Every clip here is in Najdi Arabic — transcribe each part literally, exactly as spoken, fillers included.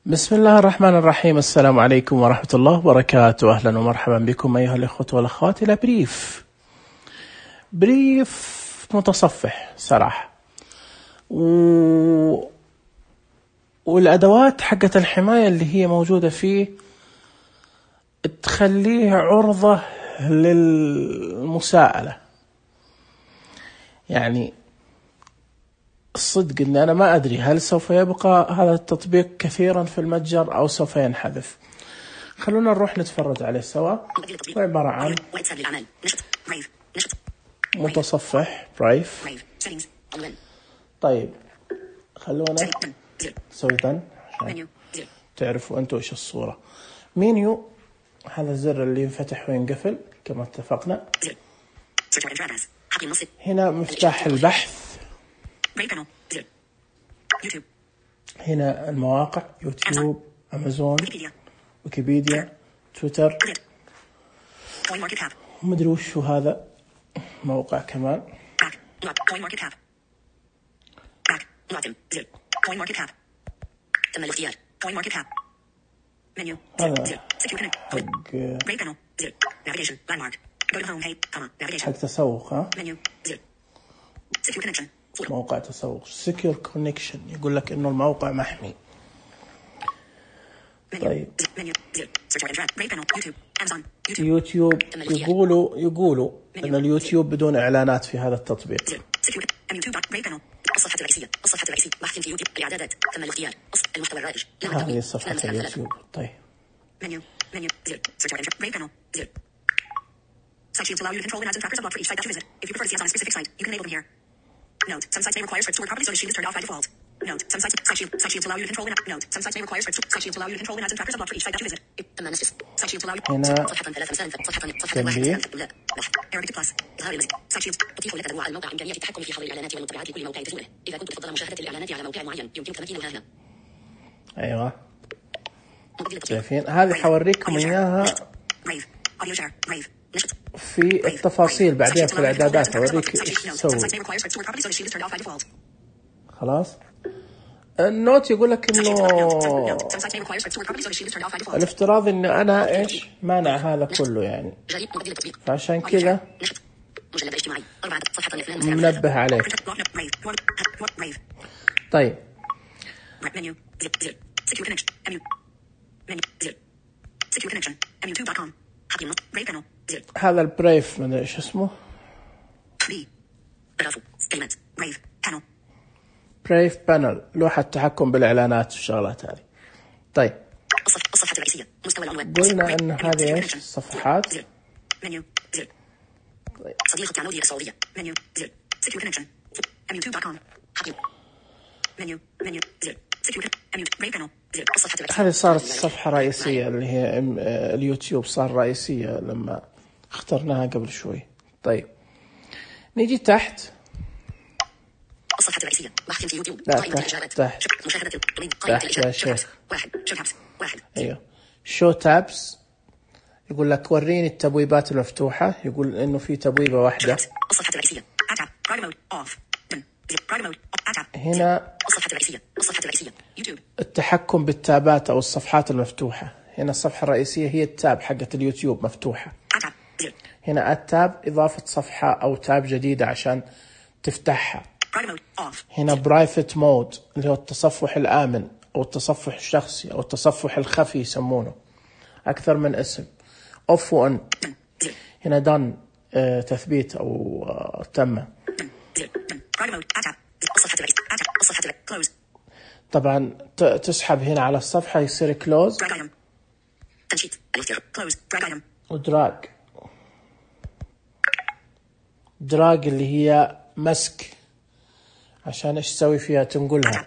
بسم الله الرحمن الرحيم. السلام عليكم ورحمة الله وبركاته. أهلا ومرحبا بكم أيها الأخوة والأخوات إلى بريف بريف متصفح صراحة و... والأدوات حقة الحماية اللي هي موجودة فيه تخليه عرضة للمساءلة. يعني الصدق أن أنا ما أدري هل سوف يبقى هذا التطبيق كثيرا في المتجر أو سوف ينحذف. خلونا نروح نتفرج عليه سوا. عبارة عن متصفح برايف. طيب خلونا نسوي دن عشان تعرفوا أنتوا إيش الصورة. مينيو، هذا الزر اللي ينفتح وينقفل كما اتفقنا. هنا مفتاح البحث. هنا المواقع: يوتيوب، أمازون، ويكيبيديا، تويتر، ومدري وش هذا موقع كمان. هذا حق تسوق، ها؟ موقع تسوق Secure Connection، يقول لك إنه الموقع محمي. طيب يوتيوب، يقولوا يقولوا إن اليوتيوب بدون إعلانات في هذا التطبيق. الصفحة الرئيسية، الصفحة الرئيسية، بحث في يوتيوب، الإعدادات، ثم الاختيار، المحتوى الرائج. هذه صفحة اليوتيوب. طيب منيو منيو زر search and brave panel زر site shields allow you to control and add some trackers and block for each site that you visit. If you prefer to see ads on a specific site, you can enable them here. Note: some sites may require scripts to work properly, so this shield is turned off by default. Note: some sites site, shield, site shields allow you to control and add, note: some sites may require scripts. Site shields allow you to control and add some trackers and block for each site that you visit. Site shields allow you. هنا Arabic Plus إظهار المزيد. Site shields تضيف لك أنواع الموقع إمكانية التحكم في حظر الإعلانات والمطبوعات لكل موقع تزوره. إذا كنت تفضل مشاهدة الإعلانات على موقع معين يمكنك تمكينها هنا. أيوة شايفين؟ هذه حوريكم إياها في التفاصيل بعدين في الإعدادات. أوريك إيش تسوي. خلاص. النوت يقول لك إنه الافتراض إن أنا إيش مانع هذا كله يعني، فعشان كذا منبه عليه. طيب هذا البريف من إيش اسمه؟ بريف بانل، لوحة تحكم بالإعلانات والشغلات هذه. طيب الصفحة الرئيسية، مستوى العنوان. قلنا إن هذه إيش الصفحات. منيو زر صديقة عنودي السعودية. منيو زر سكيور كونكشن أميو توب دوت كوم حقيقي. منيو منيو زر سكيور أميو بريف بانل زر الصفحة الرئيسية. هذه صارت الصفحة الرئيسية اللي هي اليوتيوب، صار رئيسية لما اخترناها قبل شوي. طيب نيجي تحت. الصفحة الرئيسية، بحث في يوتيوب، قائمة الإجابات، مشاهدة قائمة الإجابات، واحد شو تابس واحد. أيوه شو تابس، يقول لك وريني التبويبات المفتوحة. يقول إنه في تبويبة واحدة. الصفحة الرئيسية، هنا الصفحة الرئيسية، الصفحة الرئيسية يوتيوب، التحكم بالتابات أو الصفحات المفتوحة. هنا الصفحة الرئيسية هي التاب حقة اليوتيوب مفتوحة. هنا التاب إضافة صفحة أو تاب جديدة عشان تفتحها. هنا برايفت مود اللي هو التصفح الآمن أو التصفح الشخصي أو التصفح الخفي يسمونه، أكثر من اسم. أوف وأن. هنا دان آه تثبيت أو آه تم. طبعا تسحب هنا على الصفحة يصير كلوز ودراج. دراج اللي هي مسك، عشان ايش تسوي فيها؟ تنقلها.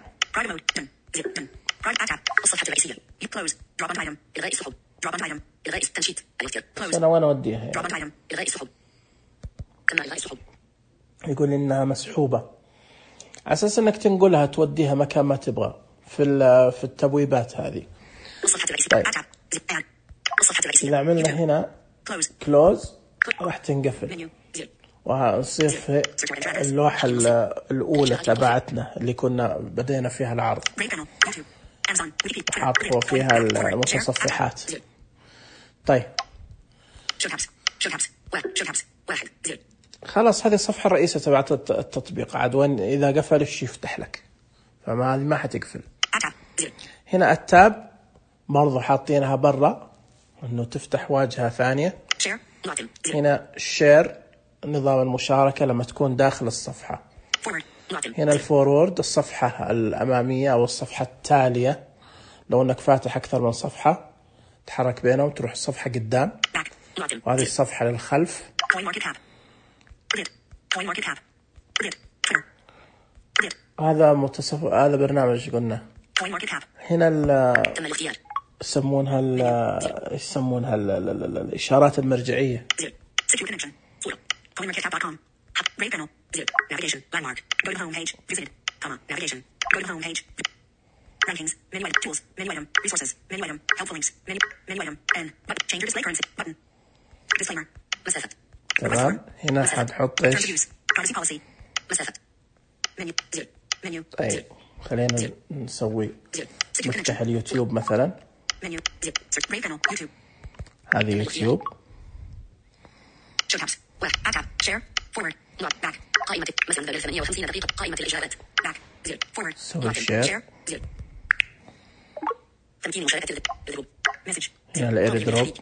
الصفحة الرئيسية كلوز دروب اون ايتم الغاء السحب دروب اون ايتم الغاء التنشيط كلوز. انا وين اوديها يعني؟ دروب اون ايتم الغاء السحب كما الغاء السحب. يقول انها مسحوبة على اساس انك تنقلها توديها مكان ما تبغى في في التبويبات هذه. الصفحة الرئيسية. طيب الصفحة الرئيسية إذا عملنا هنا كلوز راح تنقفل وهنصير في اللوحة الأولى تبعتنا اللي كنا بدينا فيها العرض. حاطوا فيها المتصفحات. طيب خلاص، هذه الصفحة الرئيسية تبعت التطبيق. عاد وين إذا قفل الشيء يفتح لك، فما ما حتقفل. هنا التاب برضو حاطينها برا إنه تفتح واجهة ثانية. هنا الشير نظام المشاركة لما تكون داخل الصفحة. هنا الفورورد الصفحة الأمامية أو الصفحة التالية، لو أنك فاتح أكثر من صفحة تحرك بينهم وتروح الصفحة قدام. وهذه الصفحة للخلف. هذا متصف هذا برنامج قلنا. هنا ال يسمونها ال يسمونها ال الإشارات المرجعية. Rankings, menu item, tools, menu item, resources, menu item, helpful links, menu, menu item, N, button, change your display currency, button, disclaimer, مسافة. تمام. هنا حنحط ايش؟ privacy policy, مسافة. menu, zero, menu, طيب خلينا نسوي نفتح اليوتيوب مثلا. menu, zero, search, brave panel, YouTube. هذه يوتيوب. show tabs, left, add tab, share, forward, log, back, قائمة مثلا بدل ثمانية وخمسين دقيقة قائمة الإجابات, back, zero, forward, سوي share. zero. تمكين مشاركة الجروب. مسج. هنا الايردروب،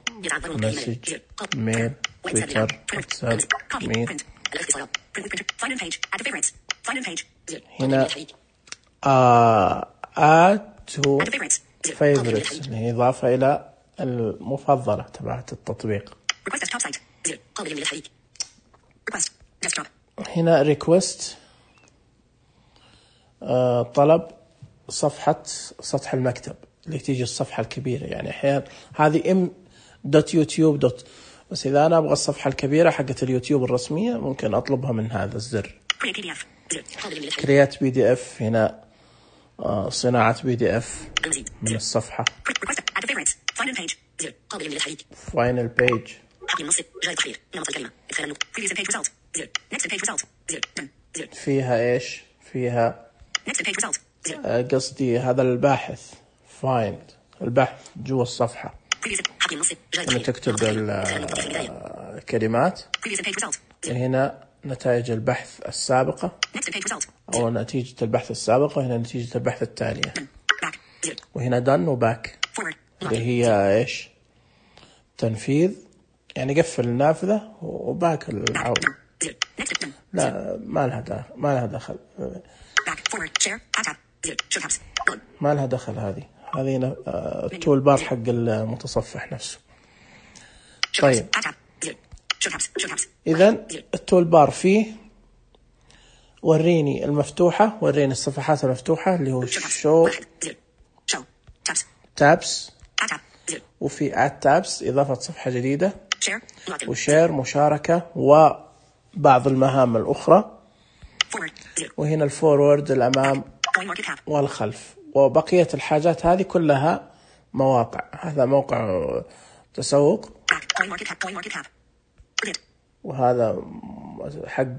مسج، ميل، تويتر، واتساب، ميل. هنا add to favorites اللي هي إضافة إلى المفضلة تبعت التطبيق. هنا request آه طلب صفحة سطح المكتب اللي تيجي الصفحة الكبيرة. يعني أحيانا هذه ام دوت يوتيوب دوت، بس إذا أنا أبغى الصفحة الكبيرة حقت اليوتيوب الرسمية ممكن أطلبها من هذا الزر. create بي دي اف. هنا آه صناعة بي دي اف من الصفحة. final page. فيها إيش؟ فيها آه قصدي هذا الباحث find البحث جوا الصفحة. هنا تكتب الكلمات. هنا نتائج البحث السابقة أو نتيجة البحث السابقة. هنا نتيجة البحث التالية. وهنا done وباك اللي هي إيش؟ تنفيذ، يعني قفل النافذة وباك العودة. لا ما لها دخل، ما لها دخل ما لها دخل هذه هذه التول بار حق المتصفح نفسه. طيب إذن التول بار فيه وريني المفتوحة، وريني الصفحات المفتوحة اللي هو شو تابس، وفي اد تابس إضافة صفحة جديدة، وشير مشاركة وبعض المهام الأخرى. وهنا الفورورد الأمام والخلف، وبقية الحاجات هذه كلها مواقع. هذا موقع تسوق، وهذا حق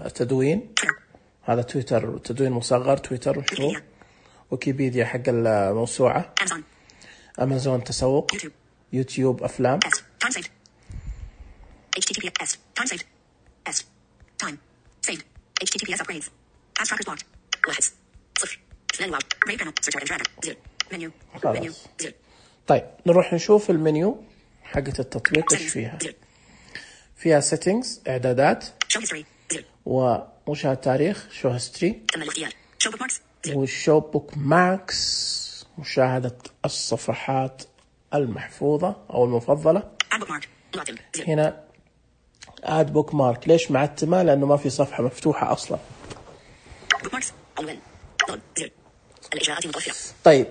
تدوين. هذا تويتر تدوين مصغر، تويتر وشو ويكيبيديا حق الموسوعة. أمازون تسوق، يوتيوب أفلام. خلاص. طيب نروح نشوف المنيو حقة التطبيق ايش فيها. فيها settings إعدادات، ومشاهدة تاريخ شو هيستوري، وشو بوك ماركس مشاهدة الصفحات المحفوظة أو المفضلة. هنا add bookmark. ليش معتمة؟ لأنه ما في صفحة مفتوحة أصلا. طيب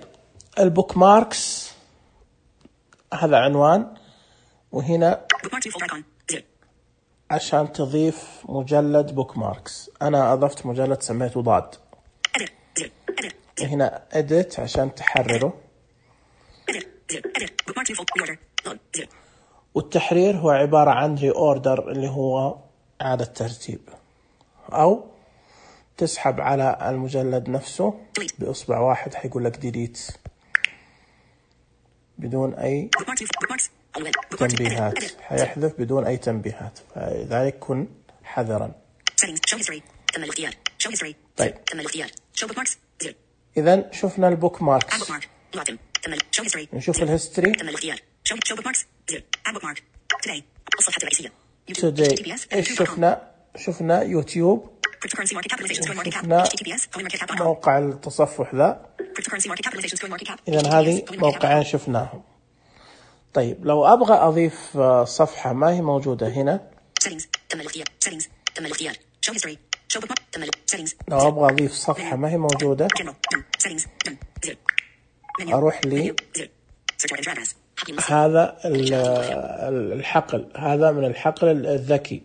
البوك ماركس هذا عنوان، وهنا عشان تضيف مجلد بوك ماركس. أنا أضفت مجلد سميته ضاد. هنا edit عشان تحرره، والتحرير هو عبارة عن reorder اللي هو إعادة ترتيب، أو تسحب على المجلد نفسه بإصبع واحد حيقول لك ديليت بدون أي تنبيهات، حيحذف بدون أي تنبيهات، فلذلك كن حذرا. طيب إذا شفنا البوك ماركس، نشوف الهيستوري. today إيش شفنا؟ شفنا يوتيوب، شفنا موقع التصفح ذا، إذا هذه موقعين شفناهم. طيب لو أبغى أضيف صفحة ما هي موجودة هنا، لو أبغى أضيف صفحة ما هي موجودة أروح لي هذا الحقل، هذا من الحقل الذكي،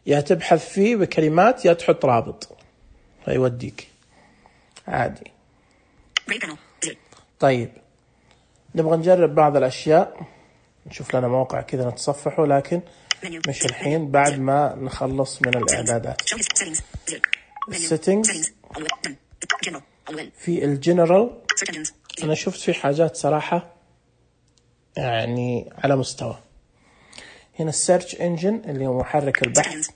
يا تبحث فيه بكلمات يا تحط رابط فيوديك عادي. طيب نبغى نجرب بعض الأشياء، نشوف لنا موقع كذا نتصفحه، لكن مش الحين، بعد ما نخلص من الإعدادات. settings في الجنرال أنا شفت في حاجات صراحة يعني على مستوى. هنا السيرش انجن اللي هو محرك البحث.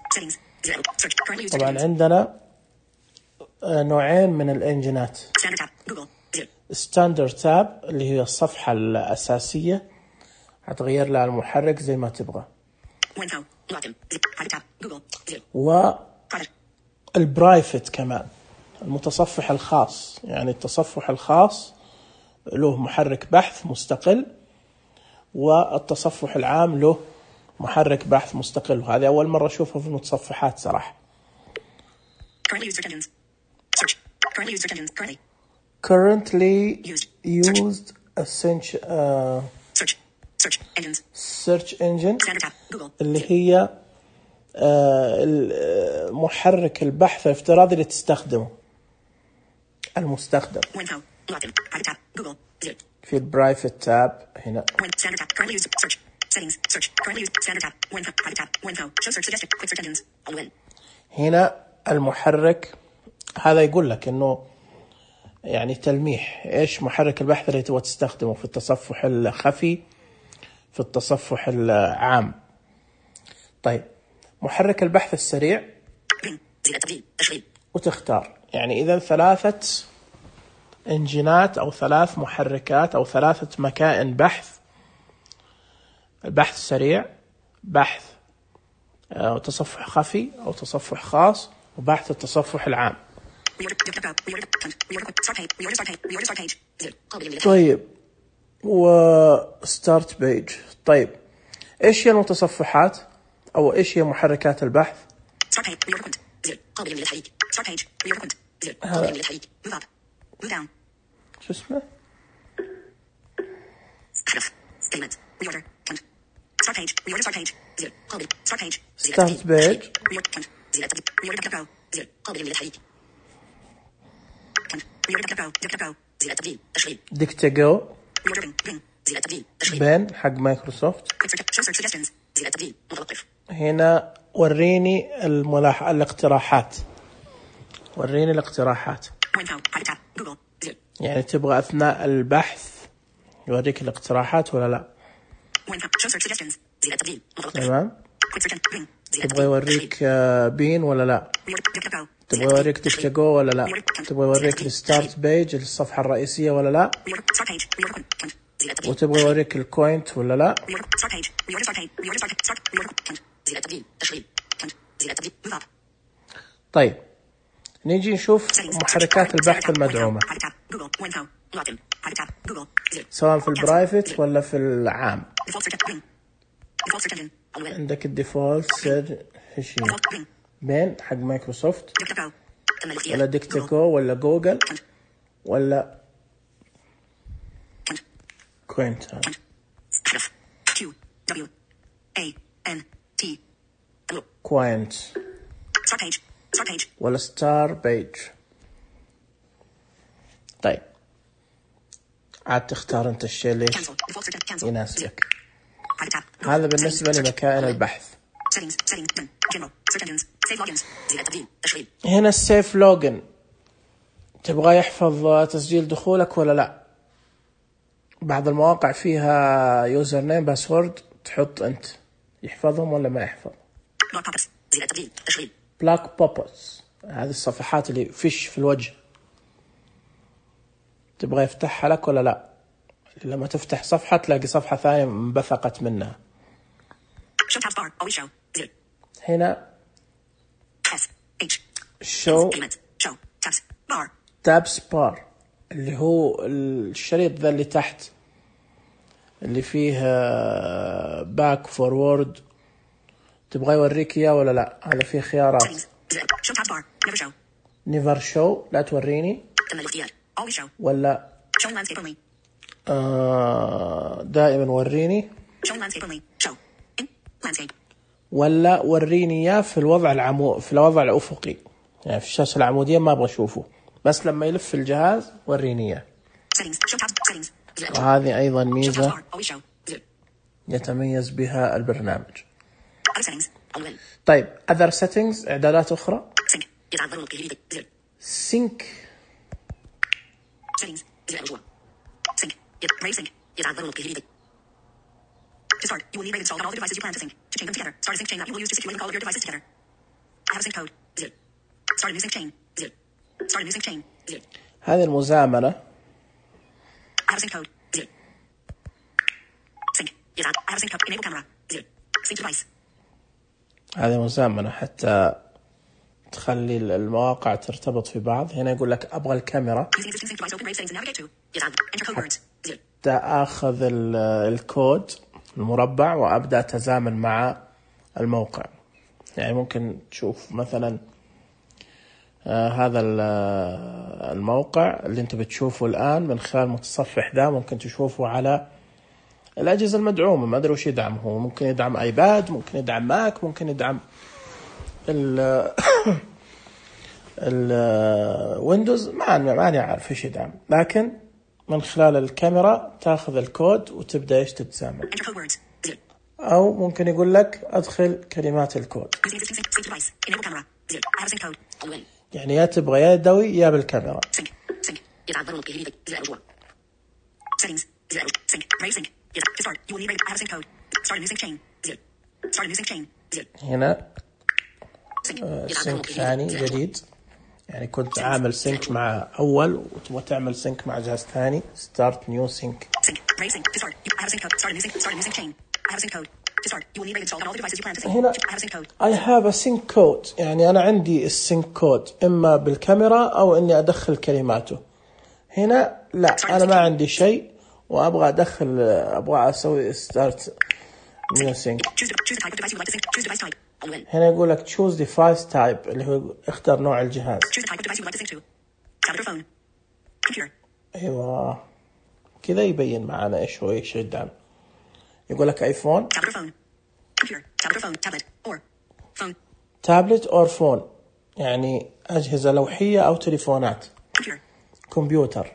طبعا عندنا نوعين من الانجنات، ستاندرد تاب اللي هي الصفحة الأساسية هتغير لها المحرك زي ما تبغى، والبرايفت كمان المتصفح الخاص، يعني التصفح الخاص له محرك بحث مستقل، والتصفح العام له محرك بحث مستقل. وهذه أول مرة أشوفها في المتصفحات صراحة. currently used essential uh, search engine اللي هي uh, محرك البحث الافتراضي اللي تستخدمه المستخدم. في البرايفت تاب هنا هنا المحرك هذا يقول لك انه يعني تلميح ايش محرك البحث اللي تبغى تستخدمه في التصفح الخفي، في التصفح العام. طيب محرك البحث السريع وتختار، يعني اذا ثلاثة انجينات او ثلاث محركات او ثلاثة مكائن بحث: البحث السريع، بحث أو تصفح خفي أو تصفح خاص، وبحث التصفح العام. طيب وستارت بيج. طيب إيش هي المتصفحات أو إيش هي محركات البحث؟ شو اسمه؟ start page ديكتاجو بين حق مايكروسوفت. هنا وريني الملاح الاقتراحات، وريني الاقتراحات، يعني تبغى أثناء البحث يوريك الاقتراحات ولا لا؟ تمام. تبغى يوريك بين ولا لا؟ تبغى يوريك ديكتاجو ولا لا؟ تبغى يوريك الستارت بيج الصفحة الرئيسية ولا لا؟ وتبغى يوريك الكوينت ولا لا؟ طيب نيجي نشوف محركات البحث المدعومة سواء في البرايفت ولا في العام. عندك الديفولت سيرش بين حق مايكروسوفت ولا ديكتاجو ولا جوجل ولا كوينت. كوينت ولا ستار بيج. طيب عاد تختار انت الشيء اللي يناسبك. هذا بالنسبة لمكائن البحث. Save logins. زر التبديل. تشغيل. هنا السيف لوجن، تبغى يحفظ تسجيل دخولك ولا لا؟ بعض المواقع فيها يوزر نيم باسورد، تحط انت يحفظهم ولا ما يحفظ. بلاك بوبس. زر التبديل. تشغيل. بلاك بوبس، هذه الصفحات اللي فيش في الوجه، تبغى يفتحها لك ولا لا؟ لما تفتح صفحة تلاقي صفحة ثانية انبثقت منها. Show tabs bar. Always show. زر. هنا S H. show Elements. Show tabs bar. tabs bar اللي هو الشريط ذا اللي تحت اللي فيه باك فورورد، تبغى يوريك اياه ولا لا؟ هذا فيه خيارات. Show tabs bar. Never show. never show، لا توريني. تم الاختيار. Always show. ولا Showing landscape only. آه دائما وريني. Showing landscape only. Show. In. Landscape. ولا وريني اياه في الوضع العمو في الوضع الافقي، يعني في الشاشة العمودية ما ابغى اشوفه، بس لما يلف الجهاز وريني اياه. Settings. Show tabs. Settings. وهذه ايضا Show tabs ميزة bar. Always show. زر. يتميز بها البرنامج. Other settings. عنوان. طيب other settings، اعدادات اخرى. Sync. يتعذر نطقه لذي. زر. sync Settings. زر الرجوع. Sync. يت. Brave sync. يتعذر نطقه لذي. To start, you will need Brave installed on all the devices you plan to sync. To chain them together, start a sync chain that you will use to secure link all of your devices together. I have a sync code. Zip. Start a new sync chain. Zip. Start a new sync chain. Zip. هذه المزامنة. I have a sync code. Zip. Sync. يتعذر. I have a sync code. Enable camera. Zip. Sync device. هذه مزامنة حتى تخلي المواقع ترتبط في بعض. هنا يقول لك أبغى الكاميرا. Using existing sync device, open Brave settings and navigate to. يتعذر. Enter code words. Zip. أخذ الكود المربع وأبدأ أتزامن مع الموقع. يعني ممكن تشوف مثلا آه هذا الموقع اللي انت بتشوفه الآن من خلال متصفح ذا، ممكن تشوفه على الأجهزة المدعومة، ما أدري وش يدعم هو، ممكن يدعم آيباد، ممكن يدعم ماك، ممكن يدعم ال الويندوز، ما ماني عارف ايش يدعم، لكن من خلال الكاميرا تاخذ الكود وتبدأ ايش تتزامن. أو ممكن يقول لك أدخل كلمات الكود، يعني يا تبغى يا يدوي يا بالكاميرا. هنا سينك ثاني جديد، يعني كنت عامل سينك مع أول وتبغى تعمل سينك مع جهاز ثاني. start new sync. هنا I have a sync code، يعني أنا عندي السينك كود إما بالكاميرا أو إني أدخل كلماته. هنا لا، أنا ما عندي شيء وأبغى أدخل، أبغى أسوي start new sync. هنا يقول لك choose device type، اللي هو اختار نوع الجهاز. أيوة كذا يبين معنا إيش هو إيش يدعم. يقول لك ايفون، تابلت أو فون، يعني أجهزة لوحية أو تليفونات، كمبيوتر.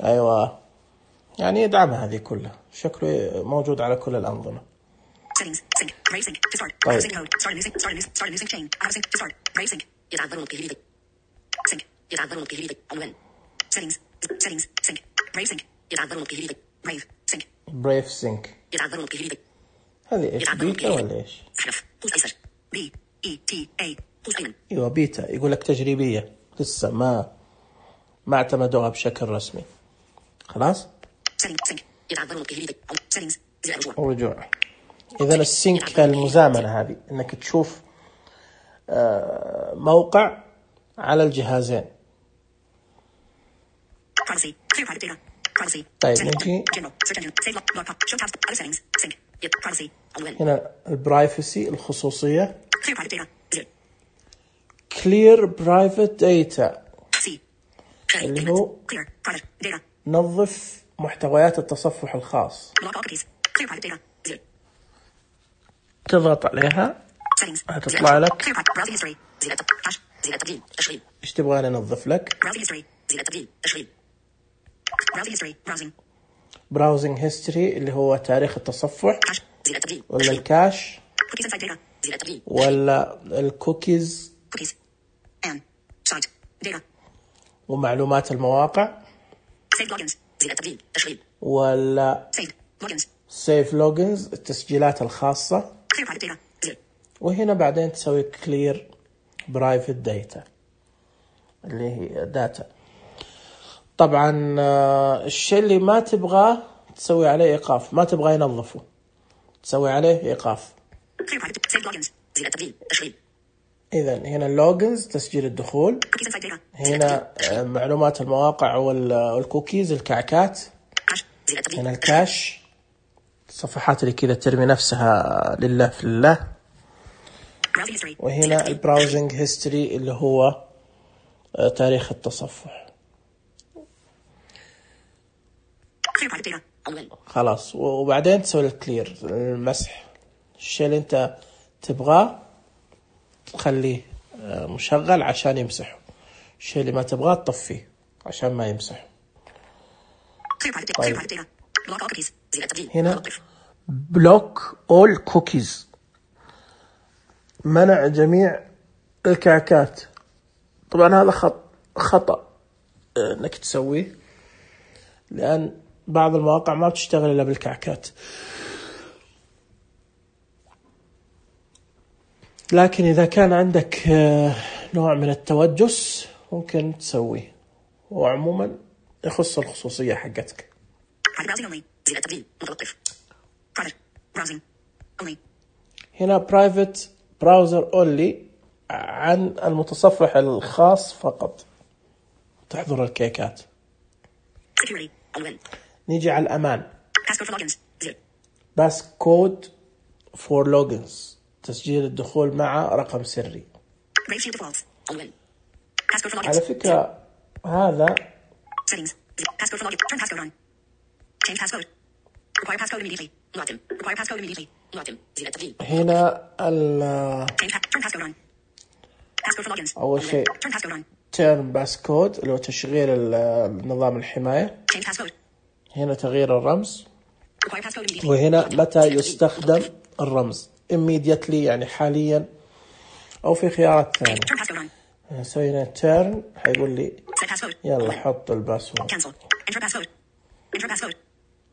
أيوة يعني يدعمها هذه كلها، شكله موجود على كل الأنظمة. بريف سينك، هذه ايش، بيتا ولا ايش؟ ايوه بيتا، يقول لك تجريبية لسه ما ما اعتمدوها بشكل رسمي. خلاص ورجوع. إذا السينك المزامنة هذه إنك تشوف موقع على الجهازين. طيب نجي هنا البرايفسي، الخصوصية. clear private data اللي هو نظف محتويات التصفح الخاص. تضغط عليها هتطلع لك ايش تبغى ننظف لك. براوزنج هيستوري اللي هو تاريخ التصفح، ولا الكاش، زر التبديل. ولا الكوكيز cookies and site data. ومعلومات المواقع. save logins زر التبديل تشغيل. ولا save logins. save logins التسجيلات الخاصة. clear private data زر. وهنا بعدين تسوي clear private data اللي هي data. طبعا الشيء اللي ما تبغاه تسوي عليه إيقاف، ما تبغاه ينظفه تسوي عليه إيقاف. clear private save logins زر التبديل تشغيل. إذا هنا اللوجنز تسجيل الدخول، cookies and site data. هنا معلومات المواقع والكوكيز الكعكات، زر التبديل. هنا الكاش الصفحات اللي كذا ترمي نفسها لله في الله، وهنا البراوزنج هيستوري اللي هو تاريخ التصفح. خلاص وبعدين تسوي الكلير المسح، الشيء اللي انت تبغاه تخليه مشغل عشان يمسحه، الشيء اللي ما تبغاه تطفيه عشان ما يمسحه. طيب. هنا بلوك اول كوكيز منع جميع الكعكات. طبعا هذا خط خطأ انك تسويه، لان بعض المواقع ما بتشتغل الا بالكعكات، لكن اذا كان عندك نوع من التوجس ممكن تسويه، وعموما يخص الخصوصية حقتك. هنا private browser only عن المتصفح الخاص فقط تحضر الكيكات. نيجي على الأمان. باس كود for logins تسجيل الدخول مع رقم سري. على فكرة هذا هنا ال أول شيء turn passcode اللي هو تشغيل النظام الحماية، هنا تغيير الرمز، وهنا متى يستخدم الرمز immediately يعني حاليا، أو في خيارات ثانية. سوينا turn حيقول لي يلا حط الباسورد،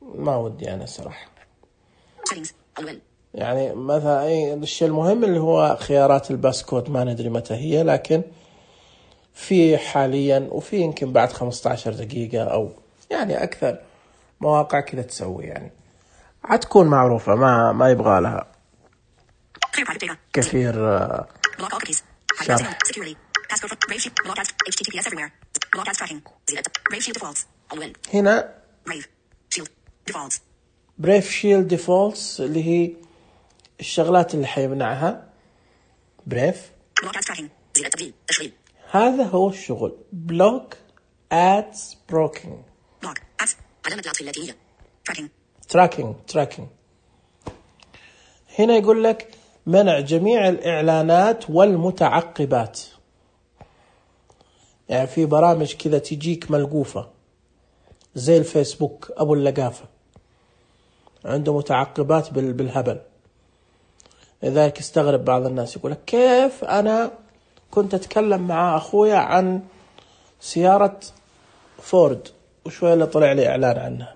ما ودي أنا صراحة، يعني مثلا أي الشيء المهم اللي هو خيارات الباسكود ما ندري متى هي، لكن في حاليا وفي يمكن بعد خمسة عشر دقيقة أو يعني أكثر مواقع كذا تسوي، يعني عتكون معروفة ما ما يبغى لها كثير شرح. هنا بريف شيلد ديفولتس اللي هي الشغلات اللي حيمنعها بريف. هذا هو الشغل بلوك ادز بروكينج تراكينج تراكينج. هنا يقول لك منع جميع الإعلانات والمتعقبات، يعني في برامج كذا تجيك ملقوفة زي الفيسبوك أبو اللقافة عنده متعقبات بالهبل، لذلك استغرب بعض الناس يقول لك كيف أنا كنت أتكلم مع أخويا عن سيارة فورد وشوية اللي طلع لي إعلان عنها،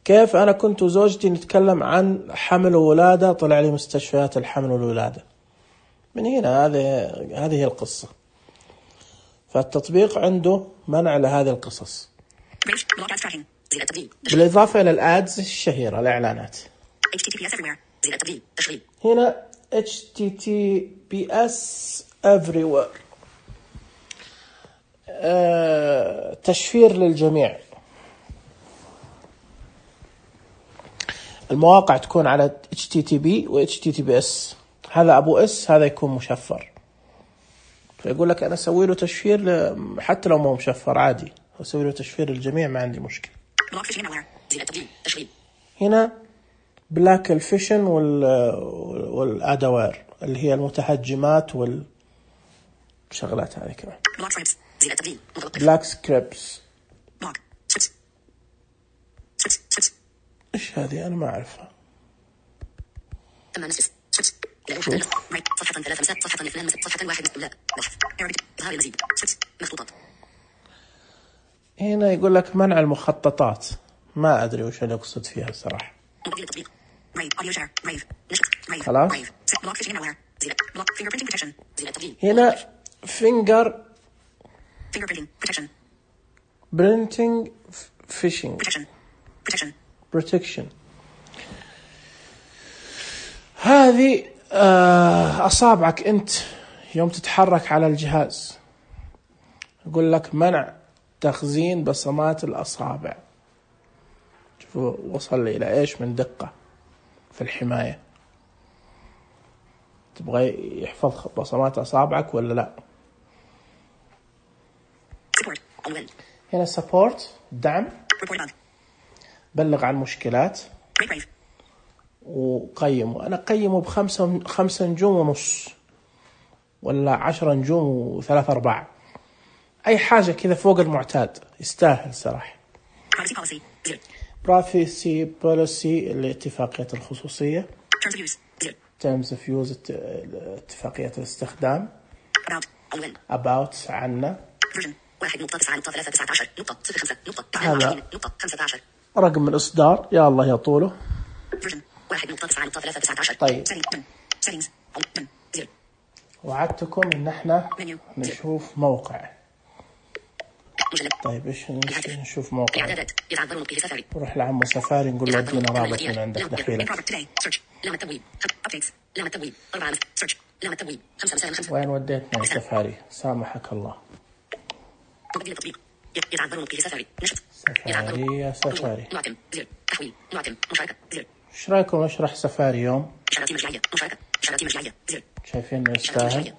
كيف أنا كنت وزوجتي نتكلم عن حمل وولادة طلع لي مستشفيات الحمل والولادة. من هنا هذه هذه هي القصة، فالتطبيق عنده منع لهذه القصص، بالإضافة إلى الآدز الشهيرة الإعلانات. هنا إتش تي تي بي إس everywhere آه، تشفير للجميع. المواقع تكون على إتش تي تي بي و إتش تي تي بي إس، هذا أبو إس هذا يكون مشفر، فيقول لك أنا أسوي له تشفير ل... حتى لو ما هو مشفر عادي أسوي له تشفير للجميع ما عندي مشكلة. هنا بلاك الفيشن وال والأدوار اللي هي المتهجمات والشغلات هذه كمان. بلاك سكريبس إيش هذه أنا ما أعرفها. صفحة ثلاثة مساء صفحة اثنان مساء صفحة واحد لا بحث إظهار المزيد مخطوطات. هنا يقول لك منع المخططات، ما أدري وش اللي يقصد فيها الصراحة. خلاص هنا finger printing phishing protection. هذه أصابعك أنت يوم تتحرك على الجهاز، يقول لك منع تخزين بصمات الأصابع. شوفوا وصل لي إلى إيش من دقة في الحماية. تبغى يحفظ بصمات أصابعك ولا لا؟ هنا support دعم، بلغ عن مشكلات وقيمه. أنا قيمه بخمسة خمسة نجوم ونص ولا عشرة نجوم وثلاث أرباع، أي حاجة كذا فوق المعتاد، يستاهل صراحة. privacy policy اللي اتفاقية الخصوصية. terms of use اتفاقية الاستخدام. about عنا. هذا رقم الإصدار، يا الله يا طوله. طيب وعدتكم إن احنا نشوف موقع. طيب إيش نشوف موقع؟ نروح لعمو سفاري نقول له ادينا رابط من عندك دخيلك. وين وديتنا يا سفاري؟ سامحك الله. سفاري يا سفاري، ايش رايكم اشرح سفاري يوم؟ شايفين يستاهل؟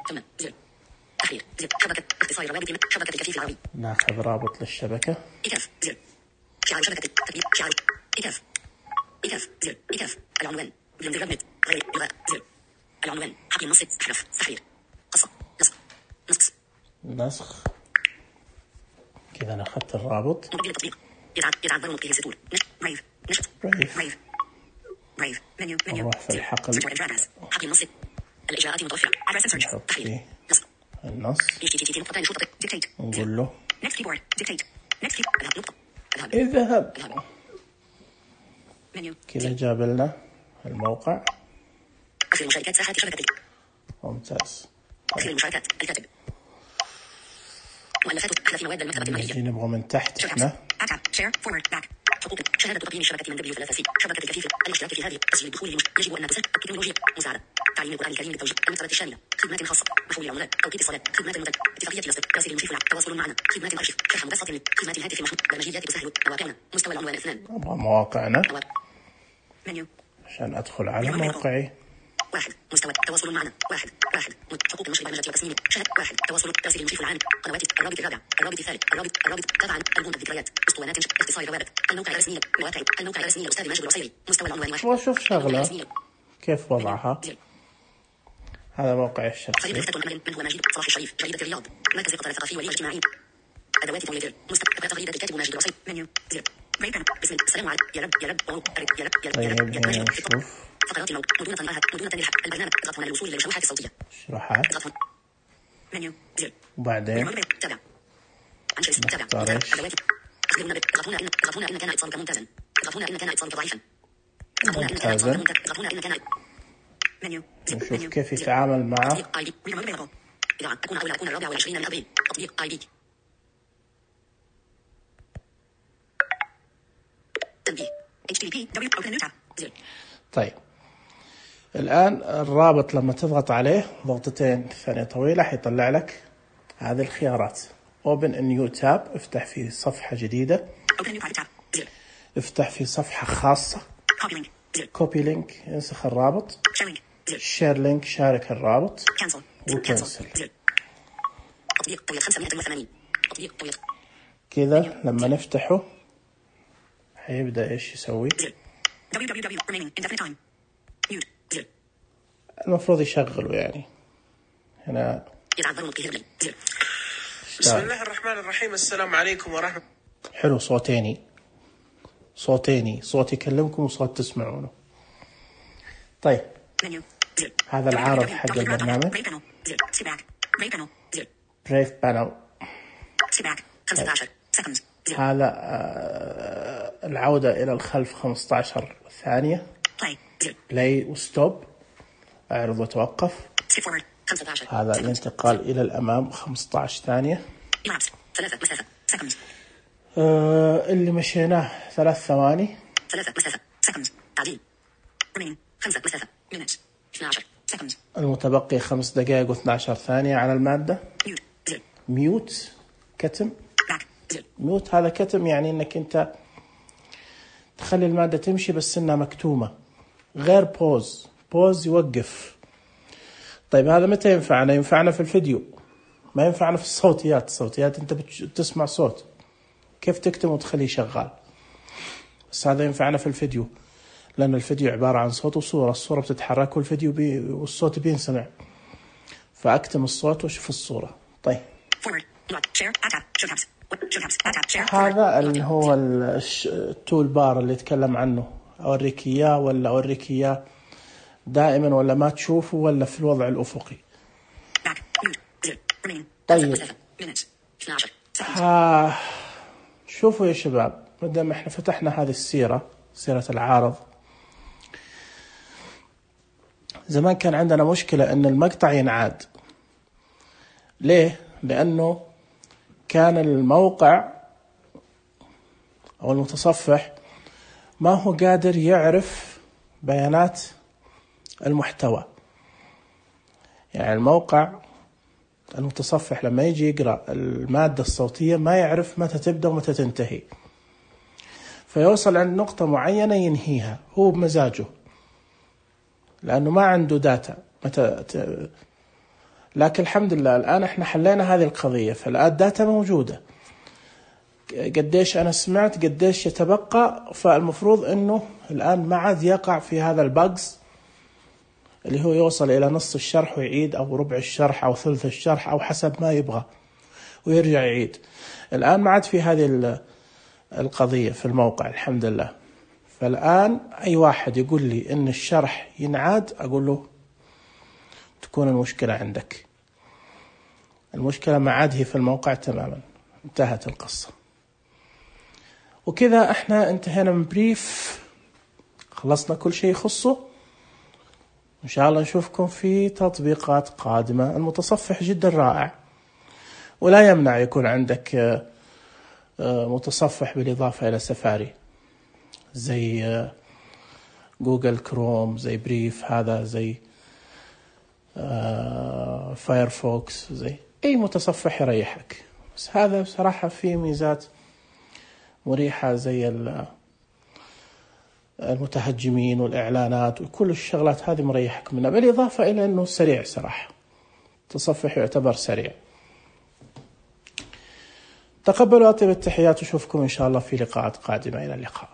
ناخذ رابط للشبكة. العنوان العنوان حقي نص احرف تحرير قصة نسخ نسخ نسخ كذا. أنا أخذت الرابط. نروح في الحقل الإجراءات المتوفرة نحط فيه النص نقول له اذهب. كذا جاب لنا الموقع. ممتاز. نجي نبغى من تحت احنا حقوق شهادة تقييم شبكة من دبليو ثلاثة سي شبكة الكفيف الاشتراك في هذه تسجيل الدخول يجب أن تسهل التكنولوجيا مساعدة تعليم القرآن الكريم للتوجيه المكتبة الشاملة خدمات خاصة محول العملات توقيت الصلاة خدمات المنتج اتفاقية الاصدقاء تسهيل المشرف تواصل معنا خدمات الأرشيف شرح مبسط خدمات الهاتف المحمول برمجيات تسهل مواقعنا مستوى العنوان اثنان مواقعنا عشان أدخل على موقعي. واحد مستوى تواصل معنا واحد واحد حقوق نشر برمجة وتصميم شهادة واحد تواصل تسهيل المشرف العام قنوات الرابط الرابع الرابط الثالث الرابط الرابط تبعا المنتج ذكريات اسطوانات اختصار الروابط الموقع الرسمي مواقع الموقع الرسمي الأستاذ ماجد العصيري مستوى العنوان واحد. واشوف شغلة كيف وضعها. هذا موقع الشخصي. من هو ماجد صلاح الشريف جريدة الرياض مركز القطاع الثقافي والاجتماعي أدوات تويتر مستقبل تغريدة الكاتب ماجد العصيري منيو زر بسم السلام عليكم يا رب يا رب يا رب يا رب يا رب يا رب فقرات الموت مدونة الراحة مدونة للحق البرنامج اضغط هنا للوصول إلى الشروحات الصوتية. شروحات. اضغط منيو زر وبعدين تابع انشئ تابع أدوات أخبرنا اضغط هنا اضغط هنا إن كان اتصالك ممتازا اضغط هنا إن كان اتصالك ضعيفا اضغط هنا إن كان اتصالك ممتازا اضغط هنا إن كان منيو نشوف كيف يتعامل مع إذا أكون أول أكون الرابع والعشرين من أبريل تطبيق آي بي. تنبيه إتش تي تي بي دبليو زر. طيب الآن الرابط لما تضغط عليه ضغطتين ثانية طويلة حيطلع لك هذه الخيارات. Open a new tab افتح في صفحة جديدة. افتح في صفحة خاصة. Copy link انسخ الرابط. Share link شارك الرابط. وكنسل. كذا لما نفتحه حيبدأ إيش يسوي؟ المفروض يشغله يعني. هنا بسم الله الرحمن الرحيم. السلام عليكم ورحمة. حلو صوتيني صوتيني صوت يكلمكم وصوت تسمعونه. طيب هذا العارض حق البرنامج. بريف بانل. هذا العودة إلى الخلف خمسة عشر ثانية. بلاي وستوب، أعرض وتوقف. هذا الانتقال إلى الأمام خمسة عشر ثانية. آه اللي مشيناه ثلاث ثواني. المتبقي خمس دقائق واثنى عشر ثانية على المادة. ميوت كتم. ميوت هذا كتم، يعني انك انت تخلي المادة تمشي بس انها مكتومة، غير بوز. بوز يوقف. طيب هذا متى ينفعنا؟ ينفعنا في الفيديو، ما ينفعنا في الصوتيات. الصوتيات انت بتسمع صوت، كيف تكتم وتخليه شغال؟ بس هذا ينفعنا في الفيديو، لأن الفيديو عبارة عن صوت وصورة. الصورة بتتحرك والفيديو بي والصوت بينسمع، فأكتم الصوت وشوف الصورة. طيب هذا اللي هو التول بار اللي يتكلم عنه. أوريك إياه ولا أوريك إياه دائما، ولا ما تشوفه، ولا في الوضع الأفقي. طيب ها شوفوا يا شباب، مادام احنا فتحنا هذه السيرة، سيرة العارض، زمان كان عندنا مشكلة ان المقطع ينعاد. ليه؟ لأنه كان الموقع أو المتصفح ما هو قادر يعرف بيانات المحتوى. يعني الموقع المتصفح لما يجي يقرأ المادة الصوتية ما يعرف متى تبدأ ومتى تنتهي، فيوصل عند نقطة معينة ينهيها هو بمزاجه، لأنه ما عنده داتا متى ت... لكن الحمد لله الآن احنا حلينا هذه القضية، فالآن الداتا موجودة، قديش أنا سمعت قديش يتبقى، فالمفروض أنه الآن ما عاد يقع في هذا الباجز اللي هو يوصل إلى نص الشرح ويعيد، أو ربع الشرح أو ثلث الشرح أو حسب ما يبغى ويرجع يعيد. الآن ما عاد في هذه القضية في الموقع الحمد لله. فالآن أي واحد يقول لي إن الشرح ينعاد أقول له تكون المشكلة عندك، المشكلة ما عاد هي في الموقع تماما، انتهت القصة. وكذا احنا انتهينا من بريف، خلصنا كل شيء يخصه. إن شاء الله نشوفكم في تطبيقات قادمة. المتصفح جدا رائع، ولا يمنع يكون عندك متصفح بالإضافة إلى سفاري زي جوجل كروم، زي بريف هذا، زي فايرفوكس، زي أي متصفح يريحك. بس هذا بصراحة فيه ميزات مريحة زي المتهجمين والإعلانات وكل الشغلات هذه مريحك منها، بالإضافة إلى أنه سريع صراحة. تصفح يعتبر سريع. تقبلوا أطيب التحيات، وشوفكم إن شاء الله في لقاءات قادمة. إلى اللقاء.